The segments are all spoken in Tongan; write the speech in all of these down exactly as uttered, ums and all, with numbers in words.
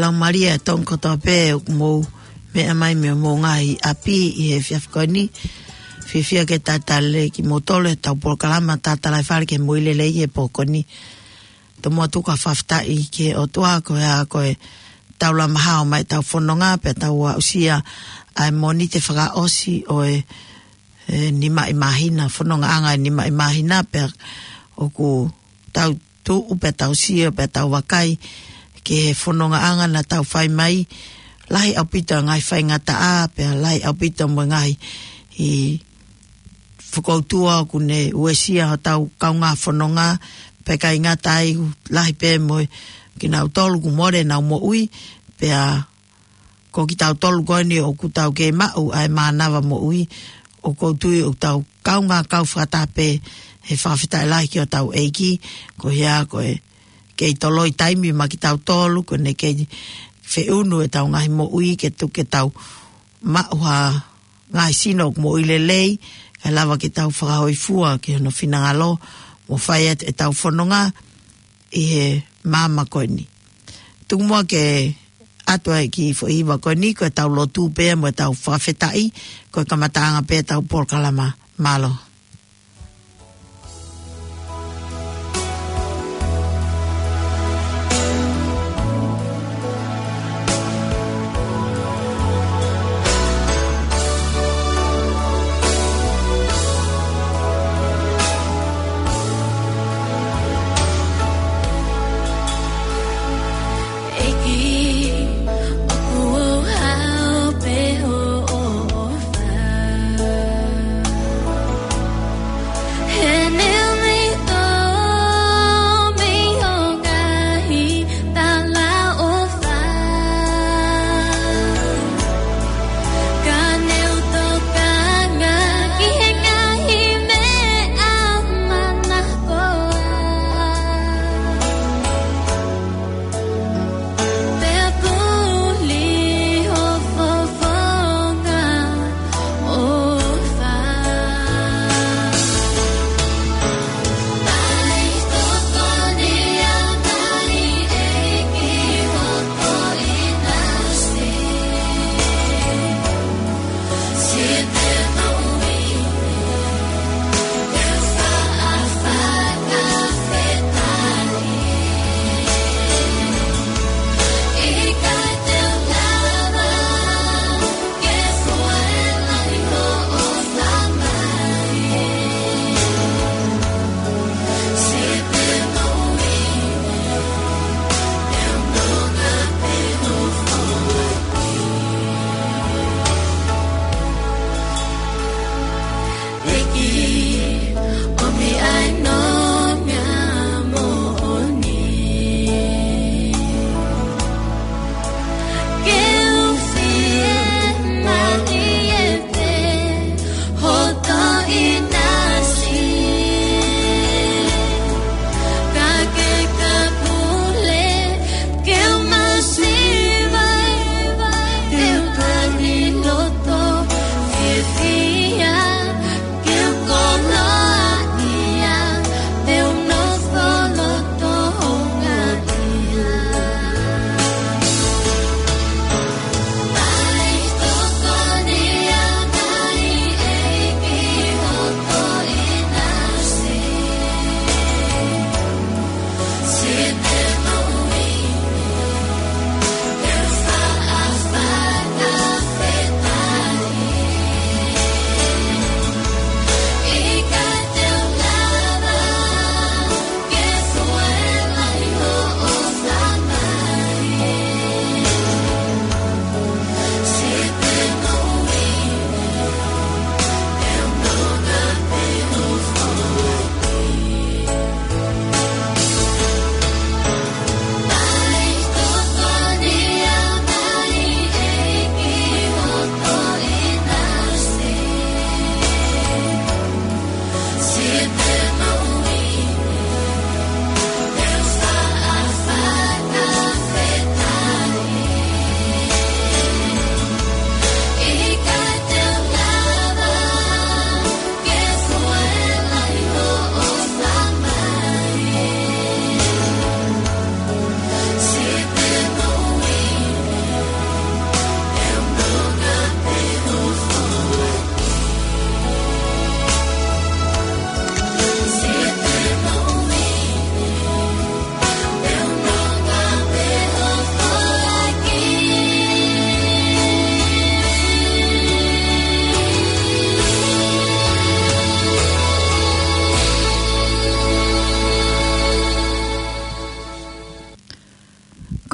Tau malia e tonga kotoa pē ʻoku mou meʻa mai mei homou ngaahi ʻapi ʻi he efiafi ko eni. Fiefia ke tatali kimoutolu ʻe heʻetau polokalama Tatalaifale ki he Moʻui Lelei he pō ko eni. Tomuʻa tuku ha fakafetaʻi ki he ʻOtua koeʻuhi ko e tau lama hao mai ʻetau fononga pea tau aʻusia ʻa e Mōnite fakaʻosi ʻo e, e, nimaʻi māhina, fonongaʻanga e nimaʻi māhina pea ʻoku tau tuʻu pea tau sio pea tau vakai ki he fonongaʻanga naʻa tau fai mai, lahi ʻaupito e ngaahi faingataʻa pea lahi ʻaupito mo e ngaahi ʻi fokoutua ʻoku ne uesia hotau kaungā fononga, pea ʻikai ngata ai ʻoku lahi pē mo kinautolu kuo mole ʻenau moʻui, pea ko kitautolu ko eni ʻoku tau kei maʻu ʻa e mānava moʻui, ʻoku ou tui ʻoku tau kaungā kau fakataha pē he fakafetaʻi lahi ki hotau ʻEiki, koeʻuhi ko e kei toloi taimi maʻa kitautolu, ko ʻene kei feʻunu ʻetau ngaahi moʻui ke tuku ke tau maʻu ha ngaahi sino ʻoku moʻui lelei, kae lava ke tau fakahōifua ki hono finangalo, mo fai atu ʻetau fononga ʻi he māmani ko eni. Tuku muʻa ke ʻoatu ʻa e kiʻi foʻi hiva ko eni, ko ʻetau lotu pea mo ʻetau fakafetaʻi, ko e kamataʻanga pē ʻetau polokalama. Mālō. ʻEiki, ʻoku ou haʻu pē hoʻo ʻofa. He ne u mei tō mei ho ngaahi talaʻofa. Ka ne u tokanga ki he ngaahi meʻa manakoa. Pea puli ho fofonga ʻofa.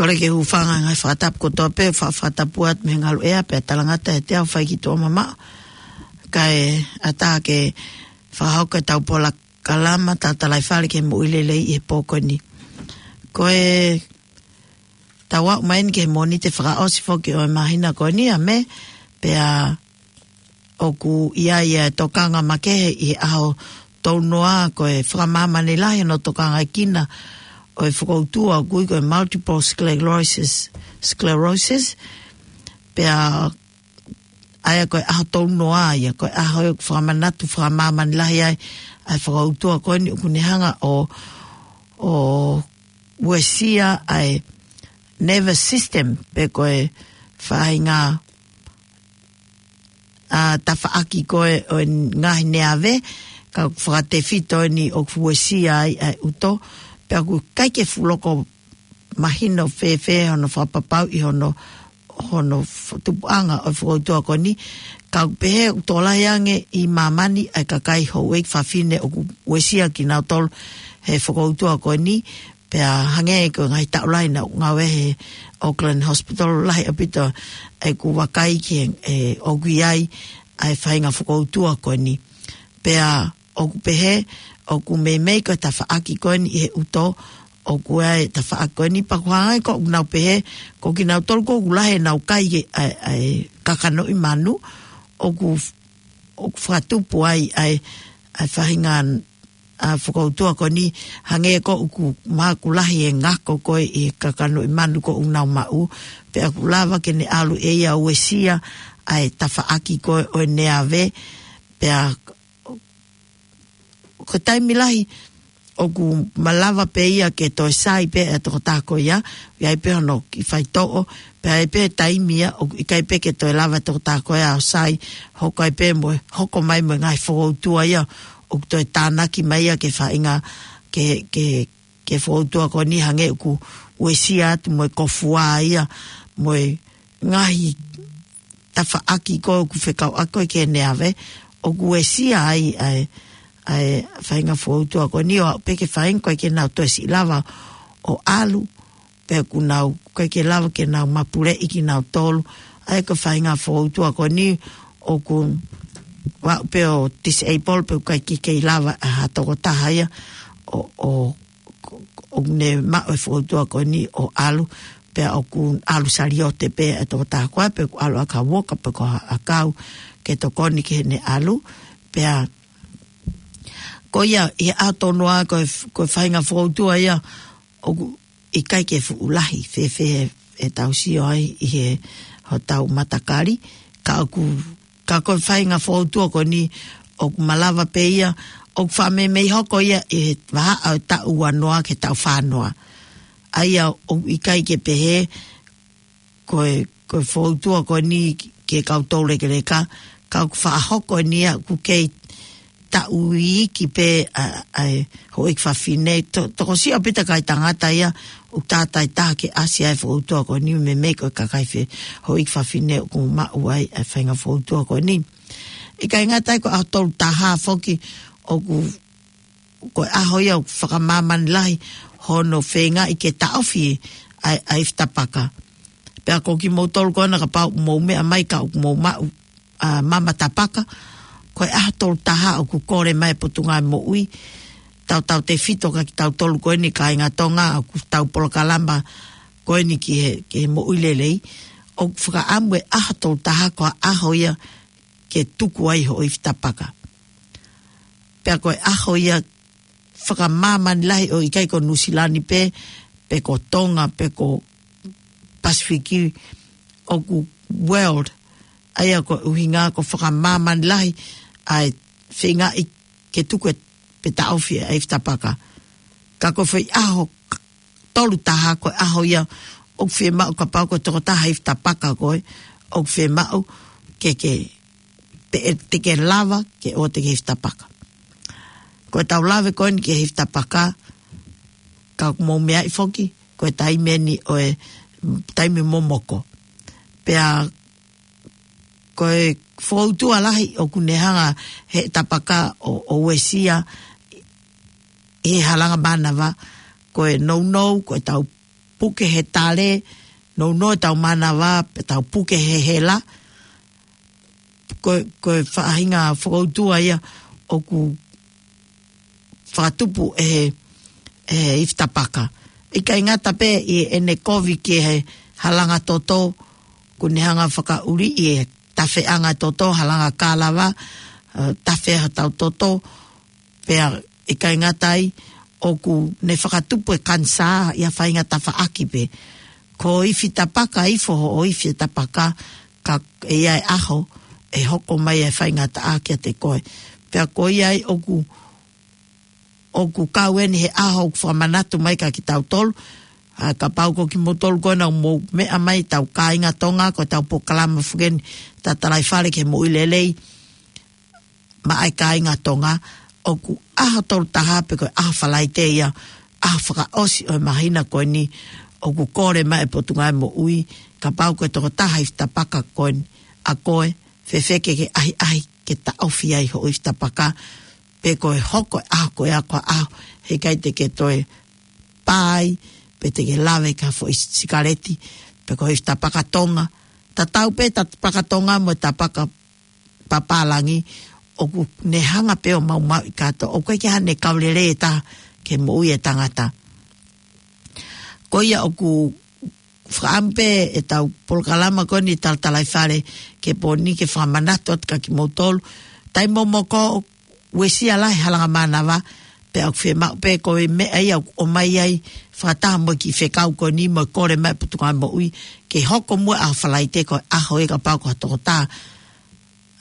Kole ke u hūfanga he ngaahi fakatapu kotoa pē, fa-, fakatapu atu mei he ngaluʻea pea talangata ʻiate au ʻa e fai ki tuʻa mamaʻo. Kae ʻatā ke fakahoko ʻetau polokalama Tatalaifale ki he Moʻui Lelei ʻi he pō ko eni. Ko ʻetau aʻu mai eni ki he Mōnite fakaʻosi foki ʻo e māhina ko eni ʻa Mē, pea ʻoku ʻi ai ʻa e tokanga makehe ʻi he ʻaho tolu noa ko e fakamāmani lahi hono tokangaʻi kinautolu ʻe he fokoutua ʻoku ui ko e multiple sclerosis, sclerosis. Pea ʻa ia ko e ʻaho tolu noa ia, ko e ʻaho ʻoku fakamanatu fakamāmani lahi ai ʻa e fokoutua ko eni ʻoku ne hanga ʻo, ʻo uesia ʻa e nervous system, pe ko e faʻahinga ʻa e tafaʻaki ko ē ʻo e ngaahi neave, ka ʻoku fakatefito eni ʻoku uesia ai ʻa e ʻuto, pea ʻoku ʻikai ke fuʻu loko mahino fēfē hono fakapapauʻi hono, hono f-, tupuʻanga ʻo e fokoutua ko eni, ka ʻoku pehē ʻoku tokolahi ange ʻi māmani ʻa e kakai houʻeiki fafine ʻoku uesia kinautolu he fokoutua ko eni, pea hangē ko e ngaahi taʻu lahi naʻa ku ngāue he Auckland Hospital, lahi ʻaupito ʻeku vakai ki he, ʻe, ʻoku ʻi ai ʻa e faʻahinga fokoutua ko eni. Pea ʻoku pehē, ʻoku meimei ko e tafaʻaki ko eni ʻi he ʻuto, ʻoku ʻi ai e tafaʻaki ko eni pea ʻoku hangē ko ʻenau pehē, ko kinautolu ko ē ʻoku lahi ʻenau kai ʻa e, ʻa e kakanoʻi manu, ʻoku, ʻoku fakatupu ai ʻa e, ʻa e faʻahinga ʻa e fokoutua ko eni, hangē ko ʻoku mahalo ʻoku lahi e ngako ko ē ʻi he kakanoʻi manu ko ē ʻoku nau maʻu, pea ʻoku lava ke ne ʻalu ʻe ia ʻo uesia ʻa e tafaʻaki ko ē ʻo e neave, pea ko e taimi lahi ʻoku malava pē ia ke toe sai pē ʻa e tokotaha ko ia, ʻi ai pē hono kiʻi faitoʻo, pea ʻi ai pē taimi ia ʻoku ʻikai pē ke toe lava e tokotaha ko ia ʻo sai, hoko ai pē mo e, hoko mai mo e ngaahi fokoutua ia ʻoku toe tānaki mai ia ki he faʻahinga, ki he, ki he, ki he fokoutua ko eni hangē ʻoku uesia atu mo e kofua ia, mo e ngaahi tafaʻaki ko ē ʻoku fekauʻaki ko ē ki he neave, ʻoku uesia ai ʻa e, ʻa e faʻahinga fokoutua ko eni ʻo aʻu pē ki he faʻahinga ko ē ʻikai ke nau toe siʻi lava ʻo ʻalu, pea ʻoku nau, ʻikai ke lava ke nau mapuleʻi kinautolu, ʻa ia ko e faʻahinga fokoutua ko eni ʻoku, ʻo aʻu pē ʻo disable pea ʻikai ke kei lava ʻe ha tokotaha ia ʻo, ʻo, ʻo, ʻo ne maʻu e fokoutua ko eni ʻo ʻalu, pea ʻoku ʻalu saliote pē ʻa e tokotaha ko ē, pe ʻoku ʻalu ʻaki ha uoka pe ko ha ʻakau ke tokoni ki heʻene ʻalu, pea ko ia ʻi he ʻaho tolu noa ko e f-, ko e faʻahinga fokoutua ia ʻoku ʻikai ke fuʻu lahi fēfē ʻetau sio ai ʻi he hotau matakali, ka ʻoku, ka ko e faʻahinga fokoutua ko eni ʻoku malava pē ia, ʻoku faʻa meimei hoko ia ʻi he vahaʻa ʻo e taʻu ua noa ki he taʻu fā noa. ʻA ia ʻoku ʻikai ke pehē ko e, ko e fokoutua ko eni ki he kau toulekeleka, ka ʻoku faʻa hoko eni ia ʻoku kei taʻu iiki pē ʻa, ʻa e houʻeiki fafine. To-, tokosiʻi ʻaupito e kakai tangata ia ʻoku tātāitaha ke ʻasi ai e fokoutua ko eni, meimei ko e kakai fe-, houʻeiki fafine ʻoku maʻu ai e faʻahinga fokoutua ko eni. ʻIkai ngata ai, ko e ʻaho tolu taha foki ʻoku, ko e ʻaho ia ʻoku fakamāmani lahi hono feingaʻi ke taʻofi ʻa e, ʻa e ifi tapaka. Pea ko kimoutolu ko ena kapau ʻoku mou meʻa mai ka ʻoku mou maʻu, ʻa, mama tapaka, ko e ʻaho tolu taha ʻoku kole mai e Potungāue Moʻui, tautautefito kia kitautolu ko eni kāinga Tonga ʻoku tau polokalama ko eni ki he, ki he moʻui lelei, ʻoku fakaʻamu e ʻaho tolu taha ko e ʻaho ia ke tuku ai hoʻo ifi tapaka. Pea ko e ʻaho ia fakamāmani lahi ʻo ʻikai ko Nuʻusila ni pē, pe ko Tonga, pe ko Pasifiki, ʻoku world, ʻa ia ko e ʻuhinga ko e fakamāmani lahi ʻa e feingaʻi ke tuku e pe taʻofi ʻa e ifi tapaka. Ka ko e foʻi ʻaho tolu taha ko e ʻaho ia ʻoku fiemaʻu kapau ko e tokotaha ifi tapaka koe, ʻoku fiemaʻu ke, ke, pe ʻe te ke lava ke ʻoua te ke ifi tapaka. Ko ʻetau lave ko eni ki he ifi tapaka, ka ʻoku mou meaʻi foki, ko e taimi eni ʻo e taimi momoko. Pea ko e fokoutua lahi ʻoku ne hanga he tapaka ʻo, ʻo uesia ʻi he halanga mānava, ko e nounou, ko ʻetau puke he tale, nounou ʻetau mānava, pe tau puke he hela, ko, ko e faʻahinga fokoutua ia ʻoku fakatupu ʻe he, ʻe he ifi tapaka. ʻIkai ngata pē ʻi heʻene kovi ki he halanga toto, ʻoku ne hanga fakaʻuli ʻi he tafeʻanga toto, halanga kalava, ʻe, tafe hotau toto, pea ʻikai ngata ai, ʻoku ne fakatupu e kanisā ʻi ha faʻahinga tafaʻaki pē. Ko e ifi tapaka, ifo hoʻo ifi e tapaka, ka ʻe ʻi ai e ʻaho, ʻe hoko mai e faingataʻa kiate koe. Pea ko ia ai ʻoku, ʻoku kau eni he ʻaho ʻoku fakamanatu mai kia kitautolu, ʻa, kapau ko kimoutolu ko ena ʻoku mou meʻa mai, tau kāinga Tonga, ko ʻetau polokalama foki eni, Tatalaifale ki he Moʻui Lelei maʻa e kāinga Tonga, ʻoku ʻaho tolu taha pe ko e ʻaho Falaite ia, ʻaho fakaʻosi ʻo e māhina ko eni, ʻoku kole mai e Potungāue Moʻui, kapau ko e tokotaha ifi tapaka ko eni, ʻa koe, fēfē ke ke ʻahiʻahi ke taʻofi ai hoʻo ifi tapaka, pe ko e hoko e ʻaho ko ē ko ha ʻaho, heʻikai te ke toe pā ai, pe te ke lave ki ha foʻi sikaleti, pe ko e ifi tapaka Tonga, tatau pē tapaka Tonga mo e tapaka papālangi, ʻoku ne hanga pē ʻo maumauʻi kātoa, ʻoku ʻikai ke ʻi ai haʻane kau lelei ʻe taha ki he moʻui e tangata. Ko ia ʻoku fakaʻamu pē ʻetau polokalama ko eni Tatalaifale ki he pō ni ke fakamanatu atu kia kimoutolu, taimi momoko, uesia lahi e halanga mānava, pea ʻoku fiemaʻu pē ko e meʻa ia ʻoku ʻomai ai fakataha mo e kiʻi fekau ko eni mo e kole mai e Potungāue Moʻui, ke hoko muʻa e ʻaho Falaite ko e ʻaho ia kapau ko ha tokotaha,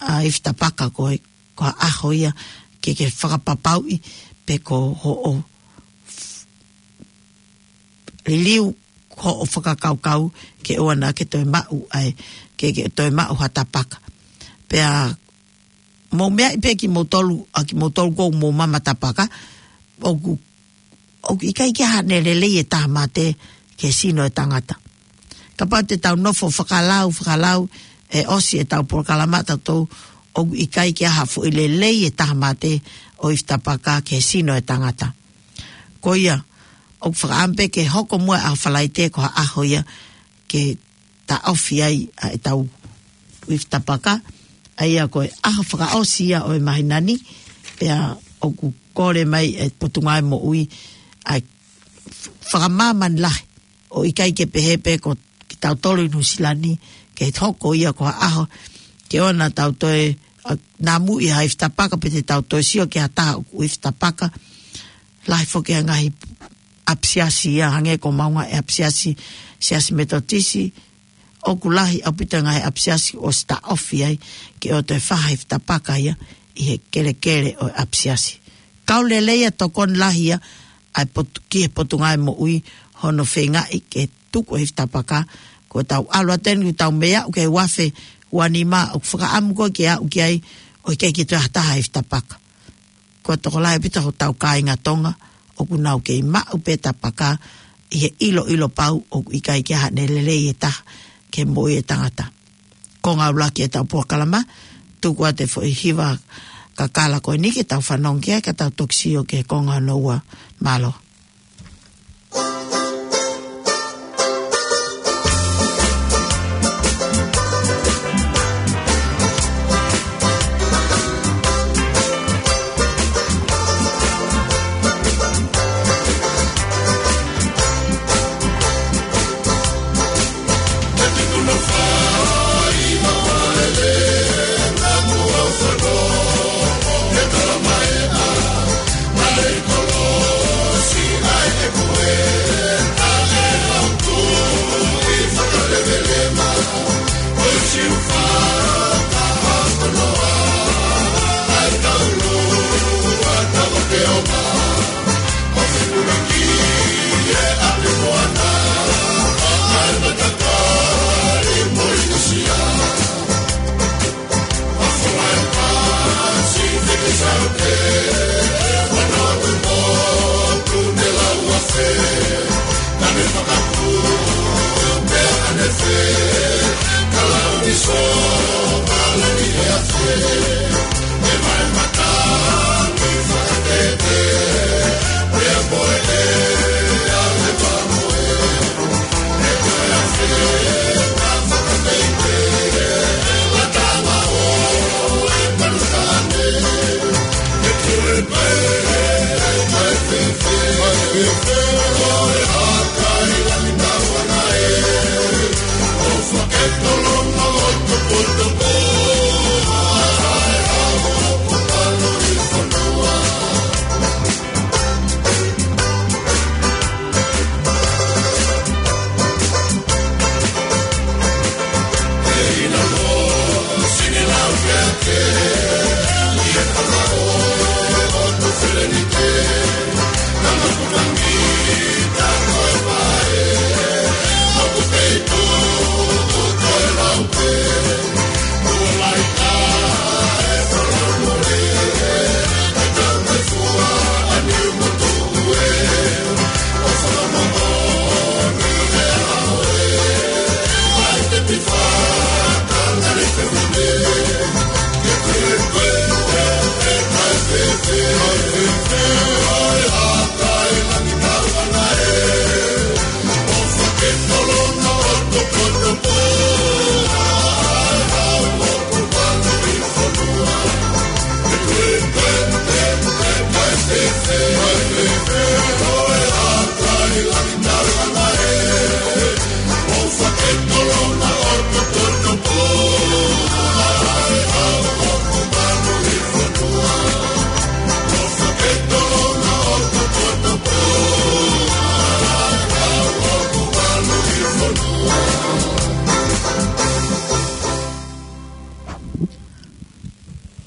ʻa, ifi tapaka ko e, ko ha ʻaho ia ke ke fakapapauʻi pe ko hoʻo liliu hoʻo fakakaukau ke ʻoua naʻa ke toe maʻu ai, ke, ke toe maʻu ha tapaka. Pea mou meaʻi pē kimoutolu, ʻa kimoutolu ʻoku mou mama tapaka, ʻoku, ʻoku ʻikai ke ʻi ai haʻane lelei e taha mate ki he sino e tangata. Kapau te tau nofo fakalau, fakalau, ʻe ʻosi ʻetau polokalama ʻatautolu, ʻoku ʻikai ke ʻi ai ha foʻi lelei e taha mate ʻo e ifi tapaka ki he sino e tangata. Ko ia, ʻoku fakaʻamu pē ke hoko muʻa e ʻaho Falaite ko ha ʻaho ia ke taʻofi ai ʻa ʻetau ifi tapaka, ʻa ia ko e ʻaho fakaʻosi ia ʻo e māhina ni, pea ʻoku kole mai e Potungāue Moʻui ʻa e fakamāmani lahi, ʻo ʻikai ke pehē pē ko kitautolu ʻi Nuʻusila ni, ke hoko ia ko ha ʻaho, ke ʻoua naʻa tau toe, ʻa, namuʻi ha ifi tapaka pe te tau toe sio ki ha taha ʻoku ifi tapaka, lahi foki e ngaahi ʻapisiasi ia hangē ko maunga e ʻapisiasi, Siasi Metotisi, ʻoku lahi ʻaupito e ngaahi ʻapisiasi ʻosi taʻofi ai, ke ʻoua toe fai ha ifi tapaka ia ʻi he kelekele ʻo e ʻapisiasi. Kau lelei ʻa e tokoni lahi ia, ʻa e potu-, ki he Potungāue Moʻui hono feingaʻi ke tuku e ifi tapaka, ko ʻetau ʻalu atu eni ʻoku tau mei aʻu ki he ua afe ua nima ʻoku fakaʻamu ko ē ke aʻu ki ai, ʻo ʻikai ke toe ʻi ai ha taha ifi tapaka. Ko e tokolahi ʻaupito hotau kāinga Tonga, ʻoku nau kei maʻu pē tapaka ʻi he ʻiloʻilo pau ʻoku ʻikai ke ʻi ai haʻane lelei e taha ki he moʻui e tangata. Konga ʻuluaki ʻetau polokalama, tuku atu e foʻi hiva kakala ko eni ke tau fanongo ki ai ka tau toki sio ki he konga hono ua. Mālō.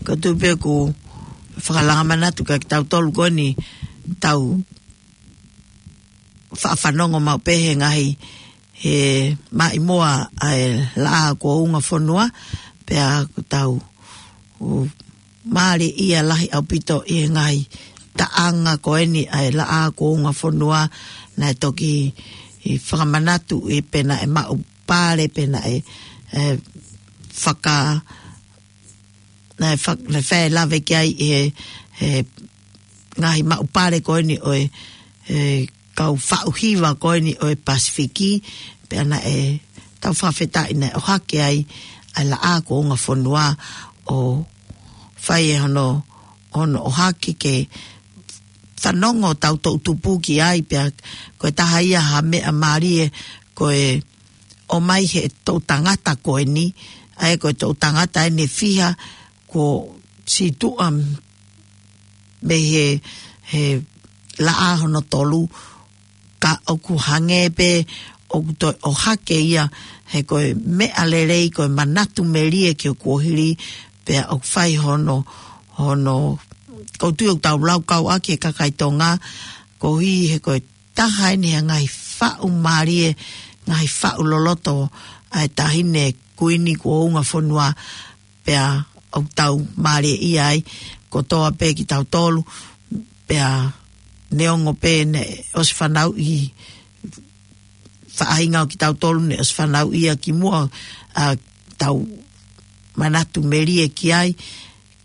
Ko tupe ku fakalanga manatu ka ki tau tolu ko eni tau faʻafanongo mau pē he ngaahi he maʻimoa ʻa e laʻā ko unga fonua, pea ko tau u mālie ia lahi ʻaupito ʻi he ngaahi taʻanga ko eni ʻa e laʻā ko unga fonua, naʻe toki ʻi fakamanatu ʻi pena e maʻu pale, pena e, e faka-, naʻe fak-, naʻe fai lave ki ai ʻi he, he ngaahi maʻu pale ko eni ʻo e, e kau faʻu hiva ko eni ʻo e Pasifiki, pea naʻe tau fakafetaʻi naʻe ʻohake ai ʻa e laʻā ko unga fonua ʻo fai e hono, hono ʻohake ke fanongo tau toʻu tupu ki ai, pea ko e taha ia ha meʻa mālie ko e ʻomai he toʻu tangata ko eni, ʻa e ko e toʻu tangata eni fiha ko situʻa mei he, he laʻā hono tolu, ka ʻoku hangē pē ʻoku toe ʻohake ia he ko e meʻa lelei, ko e manatu melie ki he kuohili, pea ʻoku fai hono, hono, ʻoku ou tui ʻoku tau laukau ʻaki e kakai Tonga, koeʻuhi he ko e taha eni he ngaahi faʻu mālie, ngaahi faʻu loloto ʻa e taʻahine kuini ko unga fonua, pea ʻoku tau mālie ia ai, kotoa pē ki tau tolu, pea neongo pē naʻe ʻosi fanauʻi, faʻahinga ʻo ki tau tolu naʻe ʻosi fanauʻi ia ki muʻa ʻa tau manatu melie ki ai,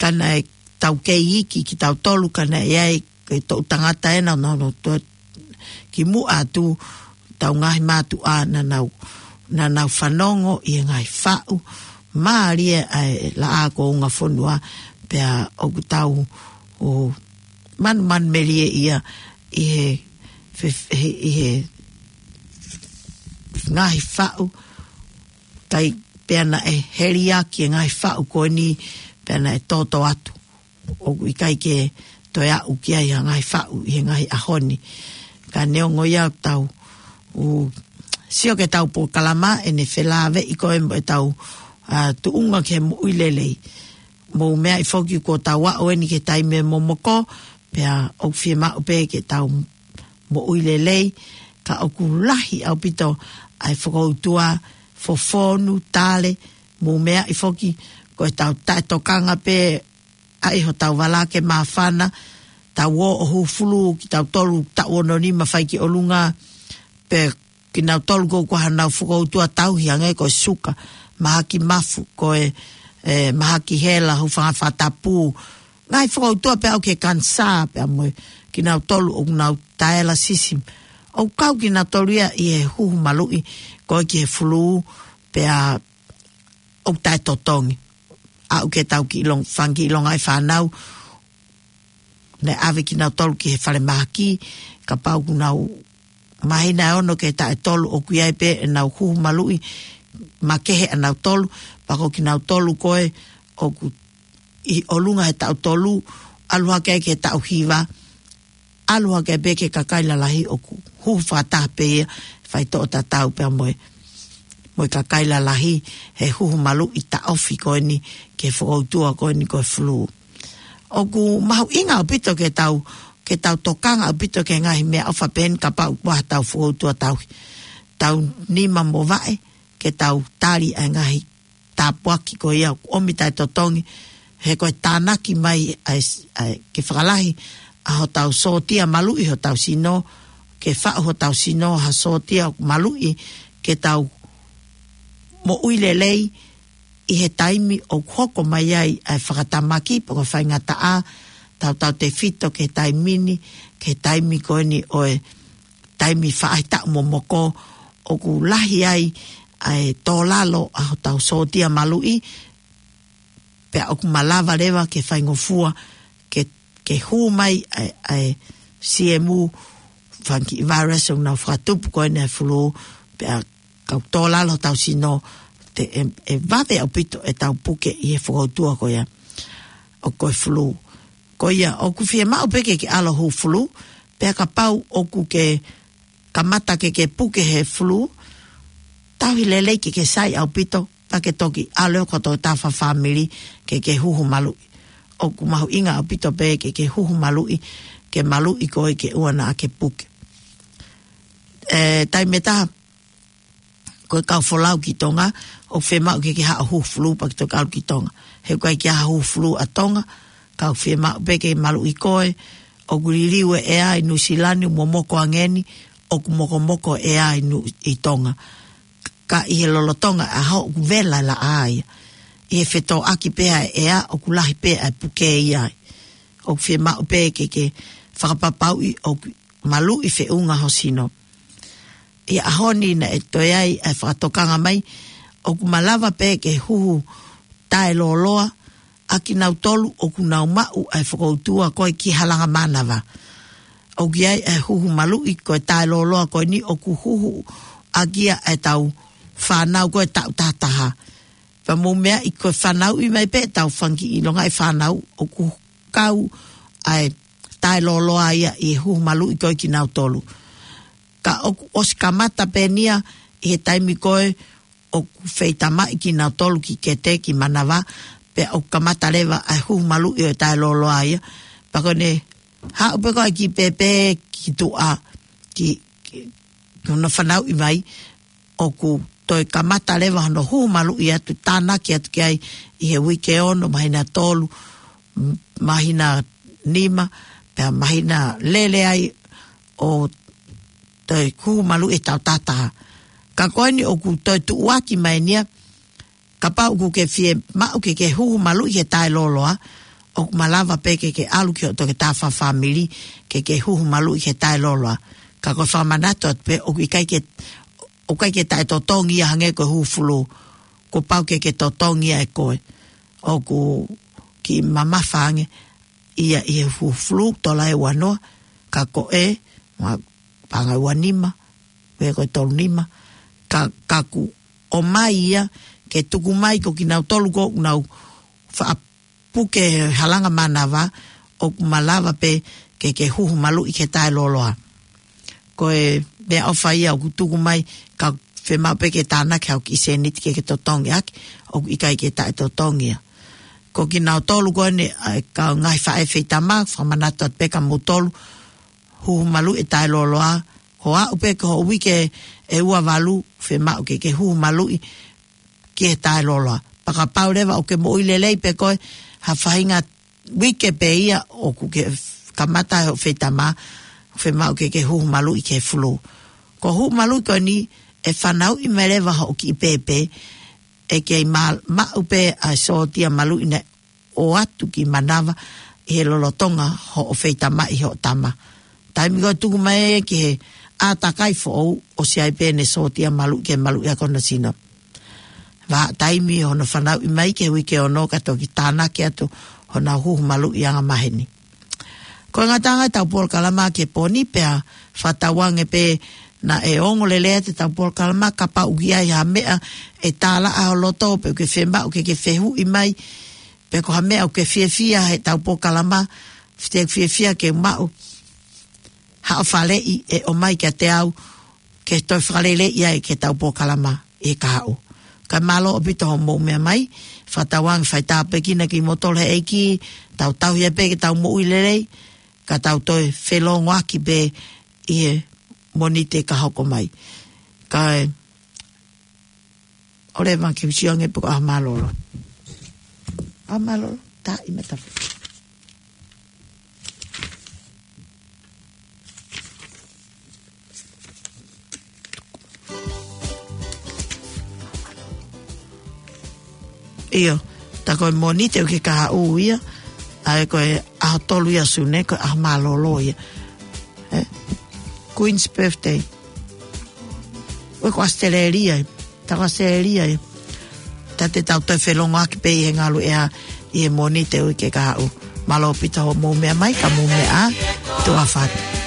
ka naʻe tau kei iiki ki tau tolu, ka naʻe ʻi ai ko e toʻu tangata ena, no, no, to, ki muʻa atu tau ngaahi mātuʻa naʻa nau, naʻa nau fanongo ʻi he ngaahi faʻu mālie ʻa e laʻā ko unga fonua, pea ʻoku tau u manumanu melie ia ʻi he, fe-, he, ʻi he ngaahi faʻu, kai pea naʻe heliaki e ngaahi faʻu ko eni, pea naʻe toto atu. ʻOku ʻikai ke toe aʻu ki ai ha ngaahi faʻu ʻi he ngaahi ʻaho ni. Ka neongo ia ʻoku tau u sio ki he tau polokalama ʻene felāveʻi ko e mo e tau, ʻa, tuʻunga ki he moʻui lelei. Mou meaʻi foki kuo tau aʻu eni ki he taimi momoko, pea ʻoku fiemaʻu pē ke tau moʻui lelei, ka ʻoku lahi ʻaupito ʻa e fokoutua, fofonu, tale, mou meaʻi foki ko e tau taʻetokanga pē ʻa e hotau vala ke māfana, tau ō ʻo hūfulu ki tau tolu taʻu ono nima fai ki ʻolunga, pe ki nau tolu ko ʻoku ʻi ai ha nau fokoutua tauhi hangē ko e suka, mahaki mafu, ko e, e, mahaki hela, hūfanga fakatapu, ngaahi fokoutua pea aʻu ki he kanisā, pea mo e ki nau tolu ʻoku nau taela sisi. ʻOku kau ki nau tolu ia ʻi he huhu maluʻi, ko e ki he fulū, pea ʻoku taʻetotongi. Aʻu ke tau ki ʻilonga, fanga kiʻi ʻilonga ʻi fānau, naʻe ʻave ki nau tolu ki he fale mahaki, kapau ʻoku nau māhina ʻe ono ki he taʻu ʻe tolu ʻoku ʻi ai pē ʻenau huhu maluʻi, makehe ʻa nau tolu, pea ko ki nau tolu ko ē ʻoku ʻi ʻolunga he taʻu tolu, ʻalu hake ai ki he taʻu hiva, ʻalu hake pē ki he kakai lalahi ʻoku huhu fakataha pē ia, faitoʻo tatau pea mo e, mo e kakai lalahi he huhu maluʻi taʻofi ko eni ki he fokoutua ko eni ko e fulū. ʻOku mahuʻinga ʻaupito ke tau, ke tau tokanga ʻaupito ki he ngaahi meʻaʻofa pehē ni kapau ʻoku ʻi ai ha tau fokoutua tauhi. Tau nima mo vaʻe, ke tau tali ʻa e ngaahi tāpuaki ko ia ʻoku ʻomi taʻetotongi, he ko e tānaki mai ʻa e, ʻa e, ke fakalahi ʻa hotau sōtia maluʻi hotau sino, ke faʻu hotau sino ha sōtia maluʻi ke tau moʻui lelei ʻi he taimi ʻoku hoko mai ai ʻa e fakatamaki pe ko e faingataʻa, tautautefito ki he taimi ni, ki he taimi ko eni ʻo e taimi faʻahitaʻu momoko, ʻoku lahi ai ʻa e tōlalo ʻa hotau sōtia maluʻi, pea ʻoku malava leva ke faingofua ke, ke hū mai ʻa e, ʻa e siemu, fanga kiʻi virus ʻoku nau fakatupu ko eni ʻa e fulū, pea kau tōlalo hotau sino, te, ʻe, ʻe vave ʻaupito ʻetau puke ʻi he fokoutua ko ia ʻoku ko e fulū. Ko ia, ʻoku fiemaʻu pē ke ke ʻalu ʻo hū fulū, pea kapau ʻoku ke kamata ke ke puke he fulū, tauhi lelei ke ke sai ʻaupito, pea ke toki ʻalu ʻo koto tafa fāmili ke ke huhu maluʻi. ʻOku mahuʻinga ʻaupito pē ke ke huhu maluʻi, ke maluʻi koe ke ʻoua naʻa ke puke. ʻE, taimi ʻe taha, ko e kau folau ki Tonga, ʻoku fiemaʻu ke ke haʻu ʻo hū fulū pea ke toki ʻalu ki Tonga. He ʻoku ʻikai ke ʻi ai ha hū fulū ʻa Tonga, ka ʻoku fiemaʻu pē ke maluʻi koe, ʻoku liliu e ʻea ʻi Nuʻusila ni, momoko ange ni, ʻoku mokomoko e ʻea ʻi Nu-, ʻi Tonga. Ka ʻi he lolotonga ʻa hoʻo vela laʻā ia, ʻi he fetōʻaki pē ʻa e ʻea ʻoku lahi pē ʻa e puke ia ai. ʻOku fiemaʻu pē ke ke fakapapauʻi ʻoku maluʻi feʻunga ho sino. ʻI he ʻaho ni naʻe toe ʻi ai ʻa e fakatokanga mai, ʻoku malava pē ke huhu taʻelōloa ʻa kinautolu ʻoku nau maʻu ʻa e fokoutua ko e ki halanga mānava. ʻOku ʻi ai ʻa e huhu maluʻi ko e taʻelōloa ko eni ʻoku huhu ʻaki ia ʻa e tau fānau ko e taʻu tahataha. Pea mou meaʻi ko e fanauʻi mai pē ʻetau fanga kiʻi longaʻi fānau ʻoku kau ʻa e taʻelōloa ia ʻi he huhu maluʻi ko e kinautolu. Ka ʻoku ʻosi kamata pē eni ia ʻi he taimi ko ē ʻoku feitamaʻi kinautolu ki kete ki manava, pea ʻoku kamata leva ʻa e huhu maluʻi ʻo e taʻelōloa ia. Pea ko ʻene haʻu pē ko ē ki pēpē ki tuʻa, ki, ki, ki hono fanauʻi mai, ʻoku toe kamata leva hono huhu maluʻi atu, tānaki atu ki ai ʻi he uike ono, māhina tolu, m-, māhina nima, pea māhina lele ai ʻo toe huhu maluʻi ʻi he taʻu tahataha. Ka ko eni ʻoku toe tuʻuaki mai eni ia, kapau ʻoku ke fiemaʻu ke ke huhu maluʻi he taʻelōloa, ʻoku malava pē ke ke ʻalu ki hoʻo toketā fāmili ke ke huhu maluʻi he taʻelōloa. Ka ko e fakamanatu atu pē ʻoku ʻikai ke, ʻoku ʻikai ke taʻetotongi ia hangē ko e huhu fulū. Kuo pau ke ke totongi ia ʻe koe. ʻOku kiʻi mamafa ange ia ʻi he huhu fulū, tola ʻe ua noa, ka ko e, ma-, paʻanga ua nima, pe ko e tolu nima, ka, ka kuo ʻomai ia ke tuku mai ko kinautolu ʻoku nau faʻa puke he halanga mānava, ʻoku malava pē ke ke huhu maluʻi he taʻelōloa. Ko e meʻaʻofa ia ʻoku tuku mai, ka fiemaʻu pē ke tānaki haʻo kiʻi sēniti ke ke totongi ʻaki, ʻoku ʻikai ke taʻetotongi ia. Ko kinautolu ko eni, ʻa e kau ngaahi faʻē feitama, fakamanatu atu pē kia moutolu, huhu maluʻi e taʻelōloa, ko e aʻu pē ki hoʻo uike ʻe ua valu, fiemaʻu ke ke huhu maluʻi ki he taʻelōloa. Pea kapau leva ʻoku ke moʻui lelei pē koe, ha faʻahinga uike pē ia ʻoku ke kamata hoʻo feitama, fiemaʻu ke ke huhu maluʻi ki he fulū. Ko e huhu maluʻi ko eni ʻe fanauʻi mai leva hoʻo kiʻi pēpē, ʻe kei ma-, maʻu pē ʻa e sōtia maluʻi naʻe ʻoatu ki manava ʻi he lolotonga hoʻo feitamaʻi hoʻo tama. Taimi ko ē tuku mai ki he ʻātakai foʻou, ʻosi ʻi ai pē ʻene sōtia maluʻi ke maluʻi ʻaki hono sino. Vahaʻa taimi hono fanauʻi mai ki he uike ono ka toki tānaki atu honau huhu maluʻi angamaheni. Ko e ngataʻanga ʻetau polokalama ki he pō ni, pea fakatauange pē naʻe ongo lelei atu ʻetau polokalama, kapau ʻoku ʻi ai ha meʻa ʻe tālaʻa ho loto pe ʻoku ke fiemaʻu ke ke fehuʻi mai, pe ko ha meʻa ʻoku ke fiefia heʻetau polokalama, fite fiefia ke maʻu haʻo faleʻi ʻe ʻomai kiate au, ke toe fakaleleiʻi ai ʻetau polokalama ʻi he kahaʻu. Kae mālō ʻaupito hoʻomou meʻa mai, fakatauange fai tāpuekina kimoutolu ʻe he ʻEiki, tau tauhi ai pē ke tau moʻui lelei, ka tau toe felōngoaki pē ʻi he Mōnite ka hoko mai. Kae ʻoua leva ke u sio ange pe ko e ʻaho mālōlō. ʻAho mālōlō, tā i mata. ʻIo, tā ko e Mōnite ʻoku ke kahaʻu ia, ʻA ia ko e ʻaho tolu ia ʻo Sune, ko e ʻaho mālōlō ia. Ē? Queen's birthday. ʻOku ʻi Australia ia. Tau Australia ia. Taʻe te tau toe felongoaki pē ʻi he ngalu ʻea ʻi he Mōnite uike kahaʻu. Mālō ʻaupito hoʻomou meʻa mai, ka mou meʻa ā, tuʻa ʻofa atu.